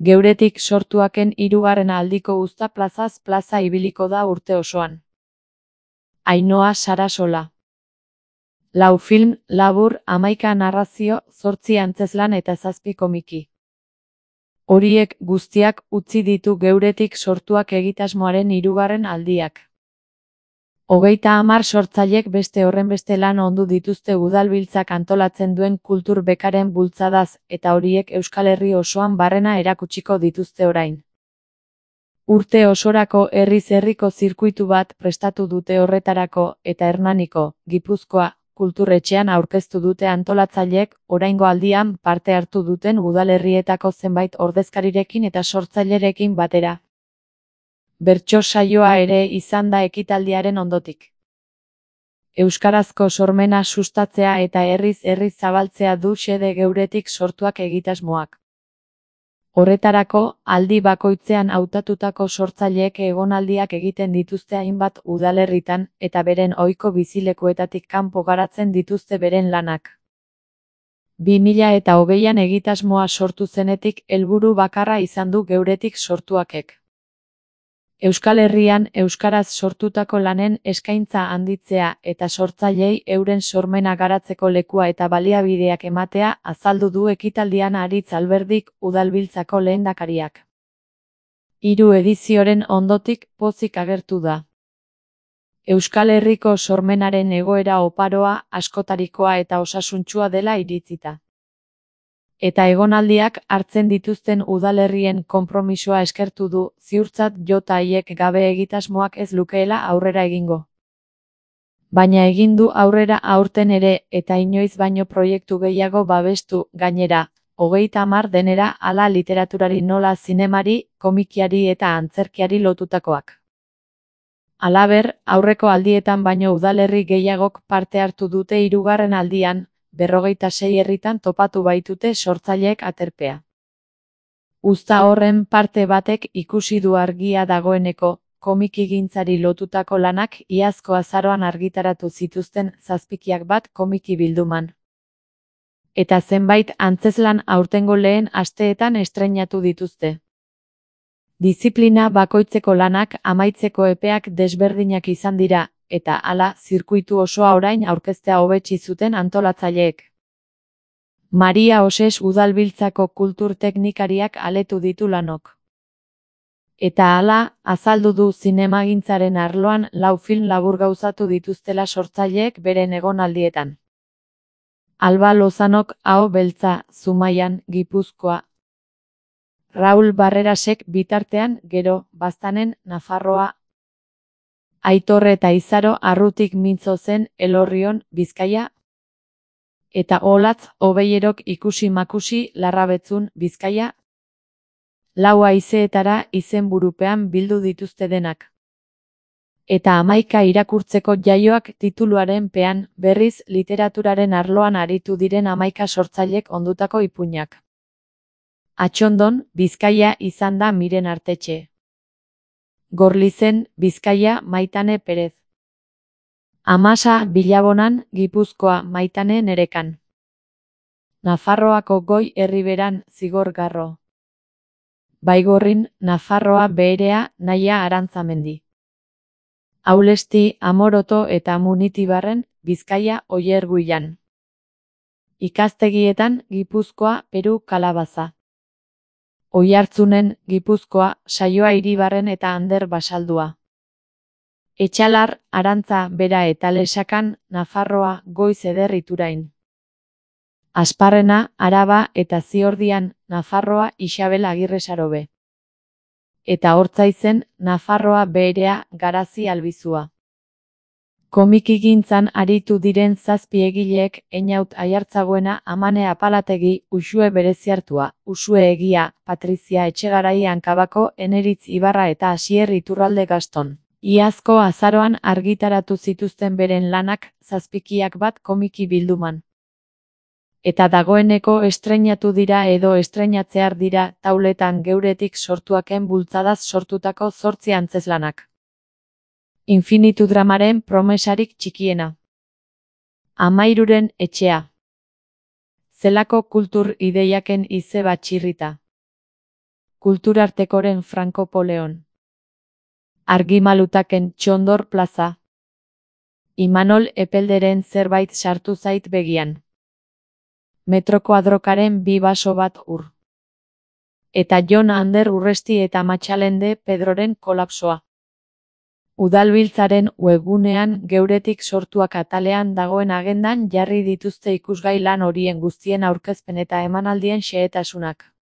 Geuretik sortuaken 3. aldiko uzta plazaz plaza ibiliko da urte osoan. Ainhoa Sarasola. 4 film, labur, 11 narrazio, 8 antzezlan eta 7 komiki. Horiek guztiak utzi ditu Geuretik sortuak egitasmoaren 3. aldiak. 30 sortzailek beste horrenbeste lan ondu dituzte udalbiltzak antolatzen duen kultur bekaren bultzadaz, eta horiek Euskal Herri osoan barrena erakutsiko dituzte orain. Urte osorako herriz herriko zirkuitu bat prestatu dute horretarako, eta Hernaniko, Gipuzkoa, kulturretxean aurkeztu dute antolatzaileek, oraingo aldian parte hartu duten udalerrietako zenbait ordezkarirekin eta sortzailerekin batera. Bertso saioa ere izan da ekitaldiaren ondotik. Euskarazko sormena sustatzea eta herriz herri zabaltzea du xede Geuretik sortuak egitasmoak. Horretarako, aldi bakoitzean hautatutako sortzaileek egonaldiak egiten dituzte hainbat udalerritan, eta beren ohiko bizilekuetatik kanpo garatzen dituzte beren lanak. 2020an egitasmoa sortu zenetik helburu bakarra izan du Geuretik sortuakek. Euskal Herrian euskaraz sortutako lanen eskaintza handitzea eta sortzaileei euren sormena garatzeko lekua eta baliabideak ematea azaldu du ekitaldian Aritz Alberdik udalbiltzako lehendakariak. 3 edizioren ondotik pozik agertu da. Euskal Herriko sormenaren egoera oparoa, askotarikoa eta osasuntsua dela iritzita. Eta egonaldiak hartzen dituzten udalerrien konpromisoa eskertu du, ziurtzat jota haiek gabe egitasmoak ez lukeela aurrera egingo. Baina egin du aurrera aurten ere, eta inoiz baino proiektu gehiago babestu, gainera, 30 denera hala literaturari nola zinemari, komikiari eta antzerkiari lotutakoak. Halaber, aurreko aldietan baino udalerri gehiagok parte hartu dute 3. aldian, 46 herritan topatu baitute sortzaileek aterpea. Uzta horren parte batek ikusi du argia dagoeneko, komikigintzari lotutako lanak iazko azaroan argitaratu zituzten zazpikiak bat komiki bilduman. Eta zenbait antzezlan aurtengo lehen asteetan estreinatu dituzte. Diziplina bakoitzeko lanak amaitzeko epeak desberdinak izan dira, eta hala zirkuitu osoa orain aurkeztea hobetsi zuten antolatzaileek. Maria Oses udalbiltzako kultur teknikariak aletu ditu lanok. Eta hala, azaldu du zinemagintzaren arloan 4 film labur gauzatu dituztela sortzaileek beren egonaldietan. Alba Lozanok Aho Beltza, Zumaian, Gipuzkoa. Raul Barrerasek Bitartean, Gero, Baztanen, Nafarroa. Aitor eta Izaro Arrutik Mintzo zen, Elorrion, Bizkaia. Eta Olatz Obeierok Ikusi Makusi, Larrabetzun, Bizkaia. 4 haizeetara izenburupean bildu dituzte denak. Eta 11 irakurtzeko jaioak tituluaren pean, berriz literaturaren arloan aritu diren 11 sortzailek ondutako ipuinak. Atxondon, Bizkaia izan da Miren Artetxe. Gorlizen, Bizkaia, Maitane Perez. Amasa, Bilabonan, Gipuzkoa, Maitane Nerekan. Nafarroako Goi Herriberan, Zigor Garro. Baigorrin, Nafarroa Beherea, Naia Arantzamendi. Aulesti, Amoroto eta Munitibarren, Bizkaia, Oier Guilan. Ikastegietan, Gipuzkoa, Peru Kalabaza. Oiartzunen, Gipuzkoa, Saioa Iribarren eta Ander Basaldua. Etxalar, Arantza, Bera eta Lesakan, Nafarroa, Goiz Eder Iturain. Asparrena, Araba eta Ziordian, Nafarroa, Isabel Agirre Sarobe. Eta Hortzaizen, Nafarroa Beherea, Garazi Albizua. Komikigintzan aritu diren 7 egileek, Einaut Aiartzagoena, Amane Apalategi, Uxue Bereziartua, Uxue Egia, Patrizia Etxegarai Hankabako, Eneritz Ibarra eta Asier Iturralde Gaston. Iazko azaroan argitaratu zituzten beren lanak, 7kiak bat komiki bilduman. Eta dagoeneko estreinatu dira edo estreinatzear dira tauletan Geuretik sortuaken bultzadaz sortutako 8 antzezlanak. Infinitu dramaren promesarik txikiena. Amairuren etxea. Zelako kultur ideiaken izeba txirrita. Kulturartekoren Franco Poleon. Argimalutaken Txondor plaza. Imanol Epelderen zerbait sartu zait begian. Metro kuadrokaren 2 baso bat ur. Eta Jon Ander Urresti eta Matxalende Pedroren kolapsoa. Udalbiltzaren webgunean geuretik sortuak atalean dagoen agendan jarri dituzte ikusgai lan horien guztien aurkezpen eta emanaldien xehetasunak.